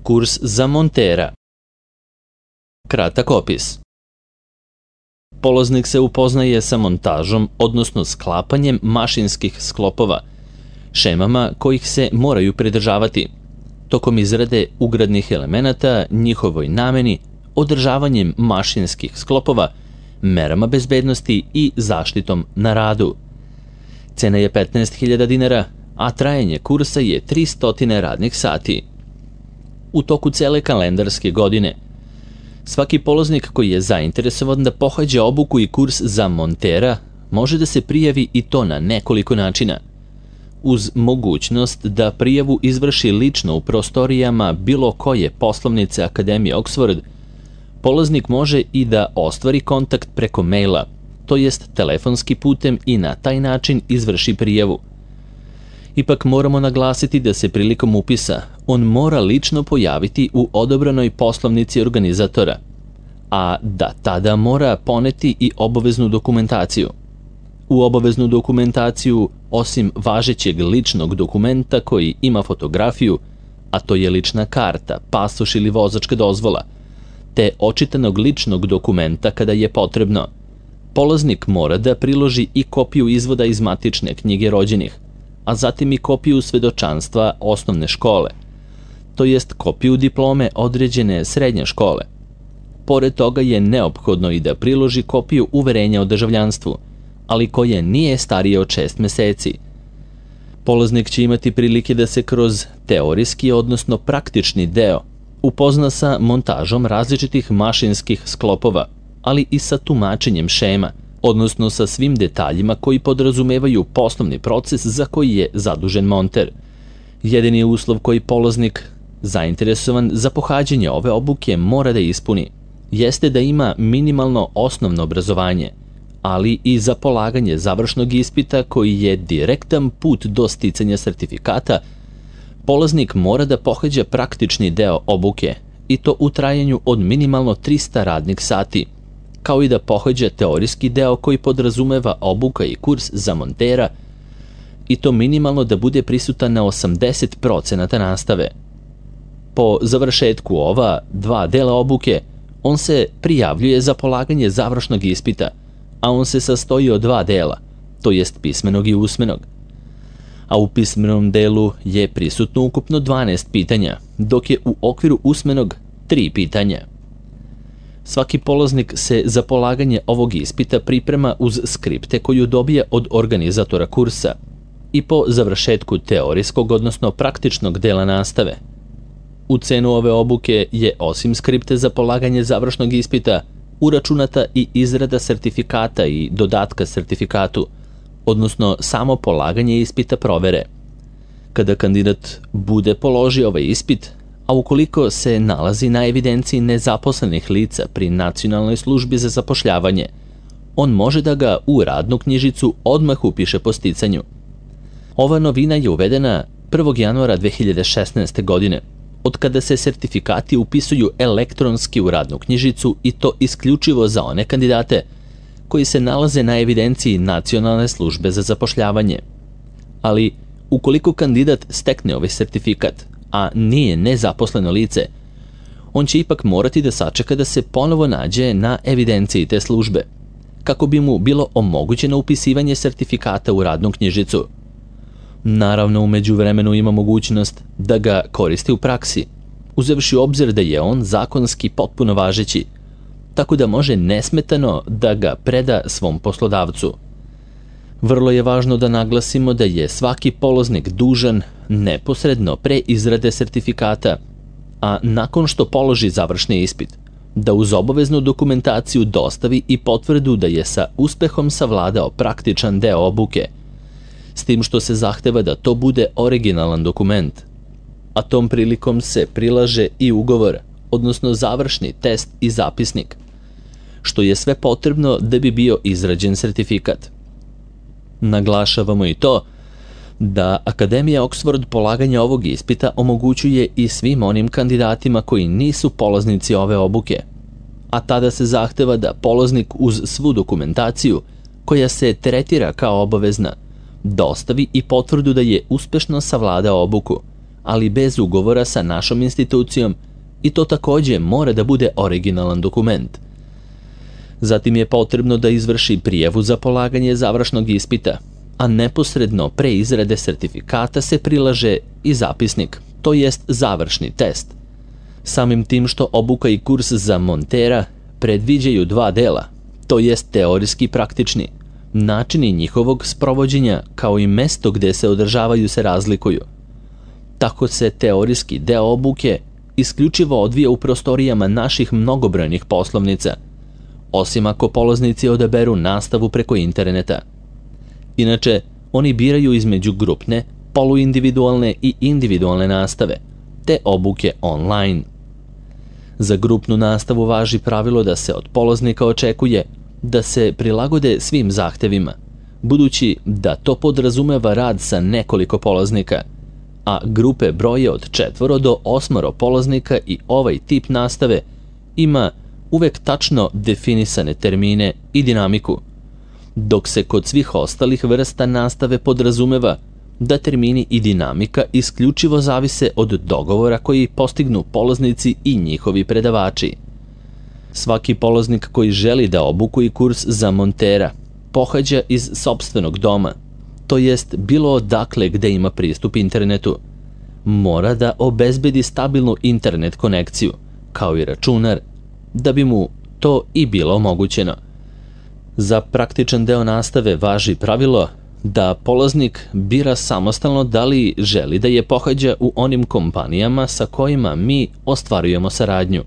Kurs za montera. Kratak opis. Polaznik se upoznaje sa montažom, odnosno sklapanjem mašinskih sklopova, šemama kojih se moraju pridržavati, tokom izrade ugradnih elemenata, njihovoj nameni, održavanjem mašinskih sklopova, merama bezbednosti i zaštitom na radu. Cena je 15.000 dinara, a trajanje kursa je 300 radnih sati. U toku cele kalendarske godine, svaki polaznik koji je zainteresovan da pohađa obuku i kurs za montera može da se prijavi i to na nekoliko načina. Uz mogućnost da prijavu izvrši lično u prostorijama bilo koje poslovnice Akademije Oxford, polaznik može i da ostvari kontakt preko maila, to jest telefonski putem i na taj način izvrši prijavu. Ipak moramo naglasiti da se prilikom upisa on mora lično pojaviti u odobranoj poslovnici organizatora, a da tada mora poneti i obaveznu dokumentaciju. U obaveznu dokumentaciju, osim važećeg ličnog dokumenta koji ima fotografiju, a to je lična karta, pasoš ili vozačka dozvola, te očitanog ličnog dokumenta kada je potrebno, polaznik mora da priloži i kopiju izvoda iz matične knjige rođenih, a zatim i kopiju svedočanstva osnovne škole, to jest kopiju diplome određene srednje škole. Pored toga je neophodno i da priloži kopiju uverenja o državljanstvu, ali koje nije starije od 6 meseci. Polaznik će imati prilike da se kroz teorijski, odnosno praktični deo, upozna sa montažom različitih mašinskih sklopova, ali i sa tumačenjem šema, odnosno sa svim detaljima koji podrazumevaju poslovni proces za koji je zadužen monter. Jedini uslov koji polaznik, zainteresovan za pohađanje ove obuke, mora da ispuni, jeste da ima minimalno osnovno obrazovanje, ali i za polaganje završnog ispita koji je direktan put do sticanja sertifikata, polaznik mora da pohađa praktični deo obuke, i to u trajanju od minimalno 300 radnih sati, kao i da pohađa teorijski deo koji podrazumeva obuka i kurs za montera, i to minimalno da bude prisutan na 80% nastave. Po završetku ova 2 dela obuke, on se prijavljuje za polaganje završnog ispita, a on se sastoji od 2 dela, to jest pismenog i usmenog. A u pismenom delu je prisutno ukupno 12 pitanja, dok je u okviru usmenog 3 pitanja. Svaki polaznik se za polaganje ovog ispita priprema uz skripte koju dobije od organizatora kursa i po završetku teorijskog, odnosno praktičnog dela nastave. U cenu ove obuke je, osim skripte za polaganje završnog ispita, uračunata i izrada sertifikata i dodatka sertifikatu, odnosno samo polaganje ispita provere. Kada kandidat bude položio ovaj ispit, a ukoliko se nalazi na evidenciji nezaposlenih lica pri Nacionalnoj službi za zapošljavanje, on može da ga u radnu knjižicu odmah upiše po sticanju. Ova novina je uvedena 1. januara 2016. godine, od kada se sertifikati upisuju elektronski u radnu knjižicu, i to isključivo za one kandidate koji se nalaze na evidenciji Nacionalne službe za zapošljavanje. Ali, ukoliko kandidat stekne ovaj sertifikat, a nije nezaposleno lice, on će ipak morati da sačeka da se ponovo nađe na evidenciji te službe, kako bi mu bilo omogućeno upisivanje sertifikata u radnu knjižicu. Naravno, u međuvremenu ima mogućnost da ga koristi u praksi, uzevši u obzir da je on zakonski potpuno važeći, tako da može nesmetano da ga preda svom poslodavcu. Vrlo je važno da naglasimo da je svaki polaznik dužan neposredno pre izrade sertifikata, a nakon što položi završni ispit, da uz obaveznu dokumentaciju dostavi i potvrdu da je sa uspehom savladao praktičan deo obuke, s tim što se zahteva da to bude originalan dokument, a tom prilikom se prilaže i ugovor, odnosno završni test i zapisnik, što je sve potrebno da bi bio izrađen sertifikat. Naglašavamo i to da Akademija Oxford polaganje ovog ispita omogućuje i svim onim kandidatima koji nisu polaznici ove obuke, a tada se zahteva da polaznik uz svu dokumentaciju, koja se tretira kao obavezna, dostavi i potvrdu da je uspešno savladao obuku, ali bez ugovora sa našom institucijom i to takođe mora da bude originalan dokument. Zatim je potrebno da izvrši prijavu za polaganje završnog ispita, a neposredno pre izrade sertifikata se prilaže i zapisnik, to jest završni test. Samim tim što obuka i kurs za montera predviđaju dva dela, to jest teorijski i praktični. Načini njihovog sprovođenja kao i mesto gde se održavaju se razlikuju. Tako se teorijski deo obuke isključivo odvija u prostorijama naših mnogobrojnih poslovnica, osim ako polaznici odaberu nastavu preko interneta. Inače, oni biraju između grupne, poluindividualne i individualne nastave, te obuke online. Za grupnu nastavu važi pravilo da se od polaznika očekuje da se prilagode svim zahtevima, budući da to podrazumeva rad sa nekoliko polaznika, a grupe broje od 4 do 8 polaznika i ovaj tip nastave ima uvek tačno definisane termine i dinamiku, dok se kod svih ostalih vrsta nastave podrazumeva da termini i dinamika isključivo zavise od dogovora koji postignu polaznici i njihovi predavači. Svaki polaznik koji želi da obuku i kurs za montera pohađa iz sopstvenog doma, to jest bilo odakle gde ima pristup internetu. Mora da obezbedi stabilnu internet konekciju, kao i računar, da bi mu to i bilo omogućeno. Za praktičan deo nastave važi pravilo da polaznik bira samostalno da li želi da je pohađa u onim kompanijama sa kojima mi ostvarujemo saradnju,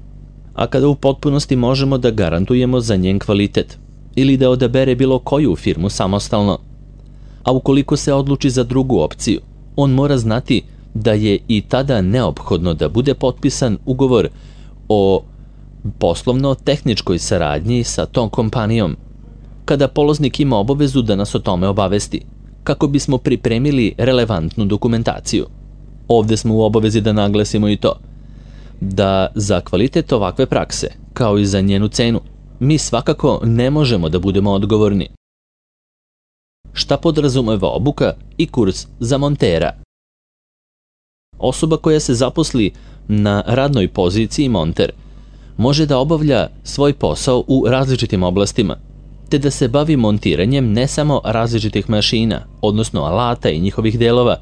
a kada u potpunosti možemo da garantujemo za njen kvalitet, ili da odabere bilo koju firmu samostalno. A ukoliko se odluči za drugu opciju, on mora znati da je i tada neophodno da bude potpisan ugovor o poslovno-tehničkoj saradnji sa tom kompanijom, kada polaznik ima obavezu da nas o tome obavesti, kako bismo pripremili relevantnu dokumentaciju. Ovde smo u obavezi da naglasimo i to, da za kvalitet ovakve prakse, kao i za njenu cenu, mi svakako ne možemo da budemo odgovorni. Šta podrazumeva obuka i kurs za montera? Osoba koja se zaposli na radnoj poziciji monter može da obavlja svoj posao u različitim oblastima, te da se bavi montiranjem ne samo različitih mašina, odnosno alata i njihovih delova,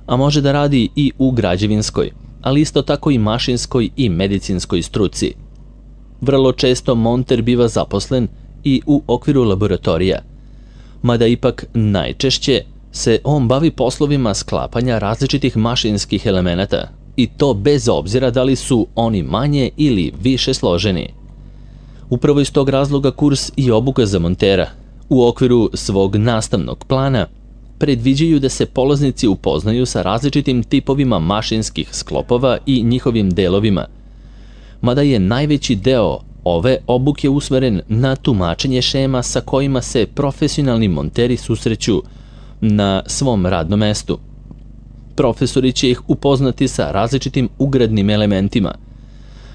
a može da radi i u građevinskoj, ali isto tako i mašinskoj i medicinskoj struci. Vrlo često monter biva zaposlen i u okviru laboratorija, mada ipak najčešće se on bavi poslovima sklapanja različitih mašinskih elemenata, i to bez obzira da li su oni manje ili više složeni. Upravo iz tog razloga kurs i obuka za montera u okviru svog nastavnog plana predviđaju da se polaznici upoznaju sa različitim tipovima mašinskih sklopova i njihovim delovima, mada je najveći deo ove obuke usmeren na tumačenje šema sa kojima se profesionalni monteri susreću na svom radnom mestu. Profesori će ih upoznati sa različitim ugradnim elementima,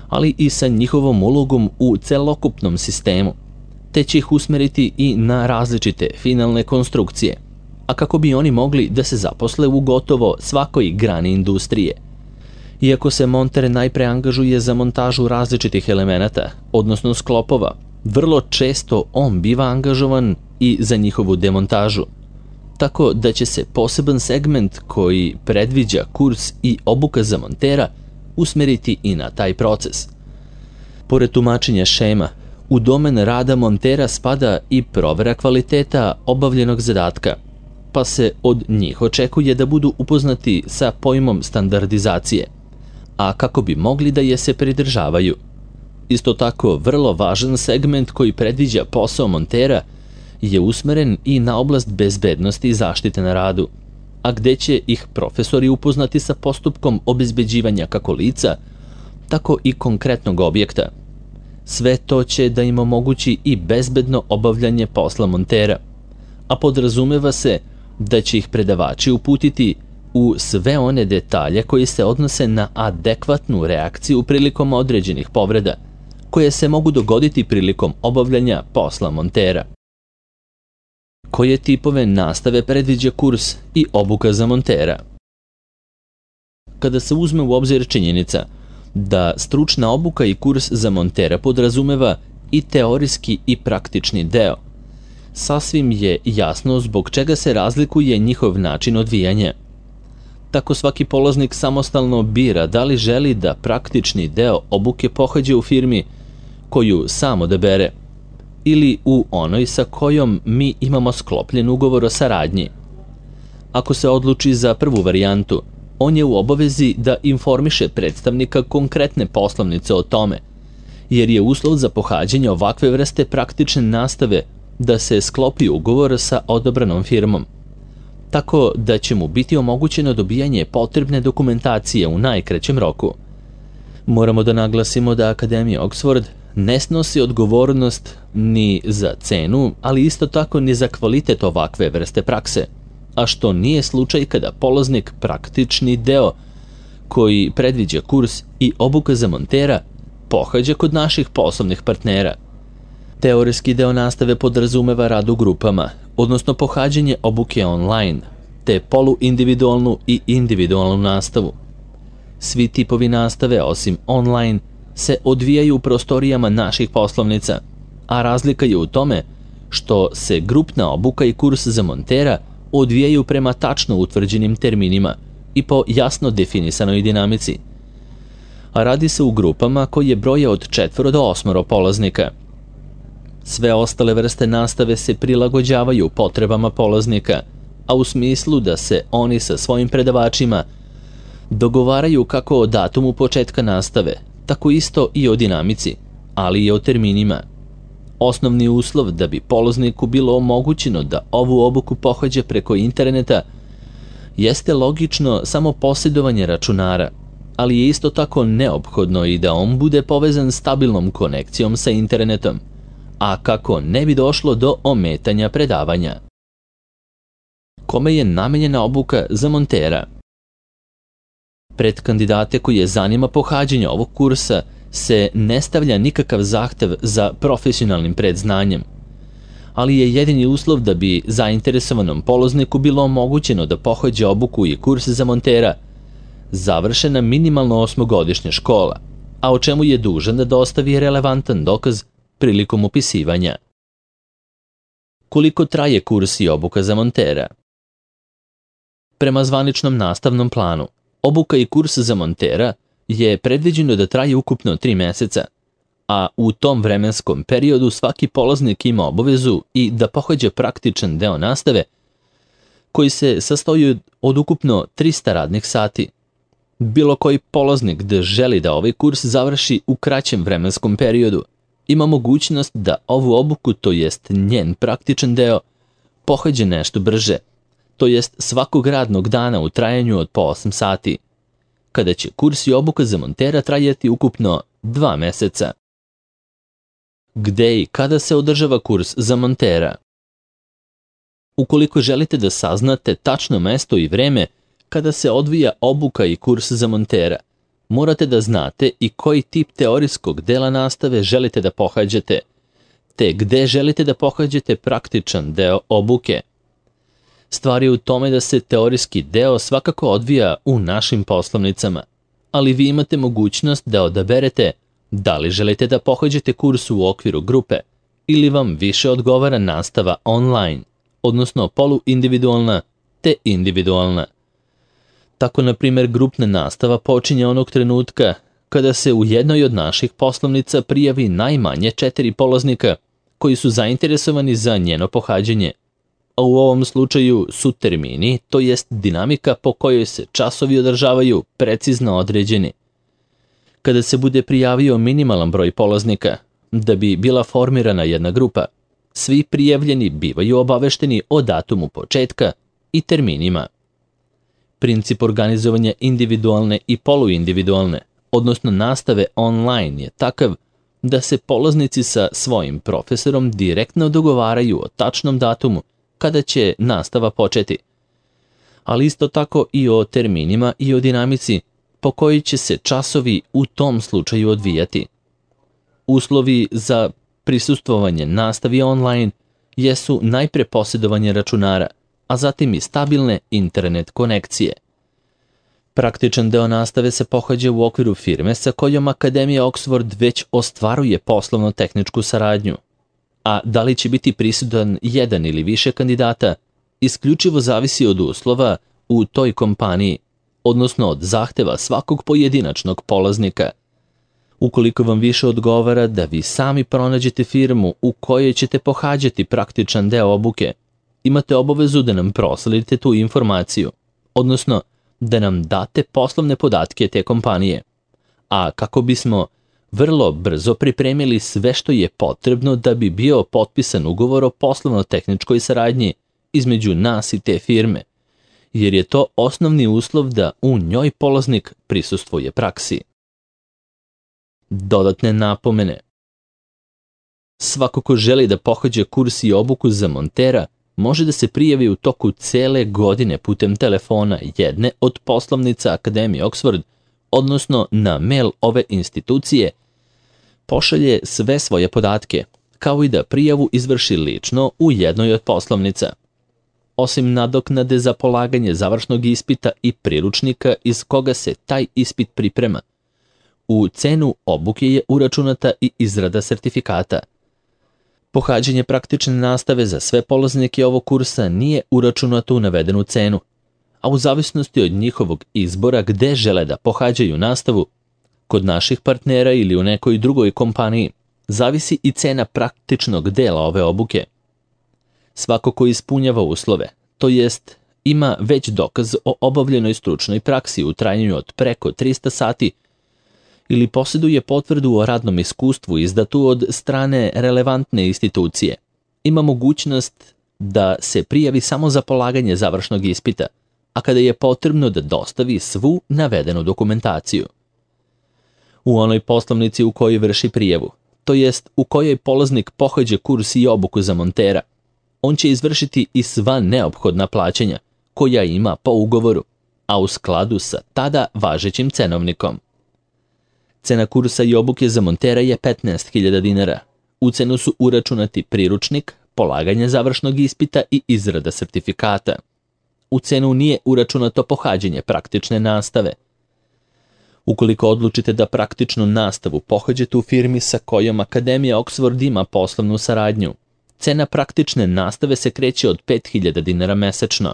ali i sa njihovom ulogom u celokupnom sistemu, te će ih usmeriti i na različite finalne konstrukcije, a kako bi oni mogli da se zaposle u gotovo svakoj grani industrije. Iako se monter najpre angažuje za montažu različitih elemenata, odnosno sklopova, vrlo često on biva angažovan i za njihovu demontažu, tako da će se poseban segment koji predviđa kurs i obuka za montera usmeriti i na taj proces. Pored tumačenja šema, u domen rada montera spada i provera kvaliteta obavljenog zadatka, pa se od njih očekuje da budu upoznati sa pojmom standardizacije, a kako bi mogli da je se pridržavaju. Isto tako, vrlo važan segment koji predviđa posao montera je usmeren i na oblast bezbednosti i zaštite na radu, a gde će ih profesori upoznati sa postupkom obezbeđivanja kako lica, tako i konkretnog objekta. Sve to će da im omogući i bezbedno obavljanje posla montera, a podrazumeva se da će ih predavači uputiti u sve one detalje koji se odnose na adekvatnu reakciju prilikom određenih povreda, koje se mogu dogoditi prilikom obavljanja posla montera. Koje tipove nastave predviđa kurs i obuka za montera? kada se uzme u obzir činjenica da stručna obuka i kurs za montera podrazumeva i teorijski i praktični deo. Sasvim je jasno zbog čega se razlikuje njihov način odvijanja. Tako svaki polaznik samostalno bira da li želi da praktični deo obuke pohađa u firmi koju sam odabere ili u onoj sa kojom mi imamo sklopljen ugovor o saradnji. Ako se odluči za prvu varijantu, on je u obavezi da informiše predstavnika konkretne poslovnice o tome, jer je uslov za pohađanje ovakve vrste praktične nastave da se sklopi ugovor sa odabranom firmom, tako da će mu biti omogućeno dobijanje potrebne dokumentacije u najkraćem roku. Moramo da naglasimo da Akademija Oxford ne snosi odgovornost ni za cenu, ali isto tako ni za kvalitet ovakve vrste prakse, a što nije slučaj kada polaznik praktični deo koji predviđa kurs i obuka za montera pohađa kod naših poslovnih partnera. Teorijski deo nastave podrazumeva rad u grupama, odnosno pohađanje obuke online, te poluindividualnu i individualnu nastavu. Svi tipovi nastave, osim online, se odvijaju u prostorijama naših poslovnica, a razlika je u tome što se grupna obuka i kurs za montera odvijaju prema tačno utvrđenim terminima i po jasno definisanoj dinamici. A radi se u grupama koje broje od 4 do 8 polaznika. Sve ostale vrste nastave se prilagođavaju potrebama polaznika, a u smislu da se oni sa svojim predavačima dogovaraju kako o datumu početka nastave, tako isto i o dinamici, ali i o terminima. Osnovni uslov da bi polazniku bilo omogućeno da ovu obuku pohađa preko interneta jeste logično samo posjedovanje računara, ali je isto tako neophodno i da on bude povezan stabilnom konekcijom sa internetom, a kako ne bi došlo do ometanja predavanja. Kome je namenjena obuka za montera? Pred kandidate koje zanima pohađanje ovog kursa se ne stavlja nikakav zahtev za profesionalnim predznanjem, ali je jedini uslov da bi zainteresovanom polazniku bilo omogućeno da pohađa obuku i kurs za montera završena minimalno 8-godišnja škola, a o čemu je dužan da dostavi relevantan dokaz prilikom upisivanja. Koliko traje kurs i obuka za montera? Prema zvaničnom nastavnom planu, obuka i kurs za montera je predviđeno da traje ukupno 3 meseca, a u tom vremenskom periodu svaki polaznik ima obavezu i da pohađa praktičan deo nastave koji se sastoji od ukupno 300 radnih sati. Bilo koji polaznik da želi da ovaj kurs završi u kraćem vremenskom periodu ima mogućnost da ovu obuku, to jest njen praktičan deo, pohađa nešto brže, to jest svakog radnog dana u trajanju od po 8 sati, kada će kurs i obuka za montera trajati ukupno 2 meseca. Gde i kada se održava kurs za montera? Ukoliko želite da saznate tačno mesto i vreme kada se odvija obuka i kurs za montera, morate da znate i koji tip teorijskog dela nastave želite da pohađate, te gde želite da pohađate praktičan deo obuke. Stvar je u tome da se teorijski deo svakako odvija u našim poslovnicama, ali vi imate mogućnost da odaberete da li želite da pohađate kurs u okviru grupe ili vam više odgovara nastava online, odnosno poluindividualna te individualna. Tako, na primjer, grupna nastava počinje onog trenutka kada se u jednoj od naših poslovnica prijavi najmanje 4 polaznika koji su zainteresovani za njeno pohađanje, a u ovom slučaju su termini, to jest dinamika po kojoj se časovi održavaju, precizno određeni. Kada se bude prijavio minimalan broj polaznika, da bi bila formirana jedna grupa, svi prijavljeni bivaju obavešteni o datumu početka i terminima. Princip organizovanja individualne i poluindividualne, odnosno nastave online, je takav da se polaznici sa svojim profesorom direktno dogovaraju o tačnom datumu kada će nastava početi, ali isto tako i o terminima i o dinamici po kojoj će se časovi u tom slučaju odvijati. Uslovi za prisustvovanje nastavi online jesu najpre posjedovanje računara, a zatim i stabilne internet konekcije. Praktičan deo nastave se pohađa u okviru firme sa kojom Akademija Oxford već ostvaruje poslovno-tehničku saradnju. A da li će biti prisutan jedan ili više kandidata, isključivo zavisi od uslova u toj kompaniji, odnosno od zahteva svakog pojedinačnog polaznika. Ukoliko vam više odgovara da vi sami pronađete firmu u kojoj ćete pohađati praktičan deo obuke, imate obavezu da nam prosledite tu informaciju, odnosno da nam date poslovne podatke te kompanije. A kako bismo vrlo brzo pripremili sve što je potrebno da bi bio potpisan ugovor o poslovno-tehničkoj saradnji između nas i te firme, jer je to osnovni uslov da u njoj polaznik prisustvuje praksi. Dodatne napomene. Svako ko želi da pohađa kurs i obuku za montera može da se prijavi u toku cele godine putem telefona jedne od poslovnica Akademije Oxford, odnosno na mail ove institucije, pošalje sve svoje podatke, kao i da prijavu izvrši lično u jednoj od poslovnica. Osim nadoknade za polaganje završnog ispita i priručnika iz koga se taj ispit priprema, u cenu obuke je uračunata i izrada sertifikata. Pohađanje praktične nastave za sve polaznike ovog kursa nije uračunato u navedenu cenu, a u zavisnosti od njihovog izbora gde žele da pohađaju nastavu, kod naših partnera ili u nekoj drugoj kompaniji, zavisi i cena praktičnog dela ove obuke. Svako ko ispunjava uslove, to jest ima već dokaz o obavljenoj stručnoj praksi u trajanju od preko 300 sati ili posjeduje potvrdu o radnom iskustvu izdatu od strane relevantne institucije, ima mogućnost da se prijavi samo za polaganje završnog ispita, a kada je potrebno da dostavi svu navedenu dokumentaciju. U onoj poslovnici u kojoj vrši prijavu, to jest u kojoj polaznik pohađa kurs i obuku za montera, on će izvršiti i sva neophodna plaćanja koja ima po ugovoru, a u skladu sa tada važećim cenovnikom. Cena kursa i obuke za montera je 15.000 dinara. U cenu su uračunati priručnik, polaganje završnog ispita i izrada sertifikata. U cenu nije uračunato pohađanje praktične nastave. Ukoliko odlučite da praktičnu nastavu pohađate u firmi sa kojom Akademija Oxford ima poslovnu saradnju, cena praktične nastave se kreće od 5.000 dinara mesečno.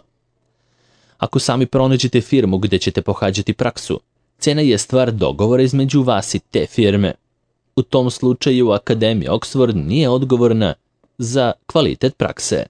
Ako sami pronađete firmu gde ćete pohađati praksu, cena je stvar dogovora između vas i te firme. U tom slučaju Akademija Oxford nije odgovorna za kvalitet prakse.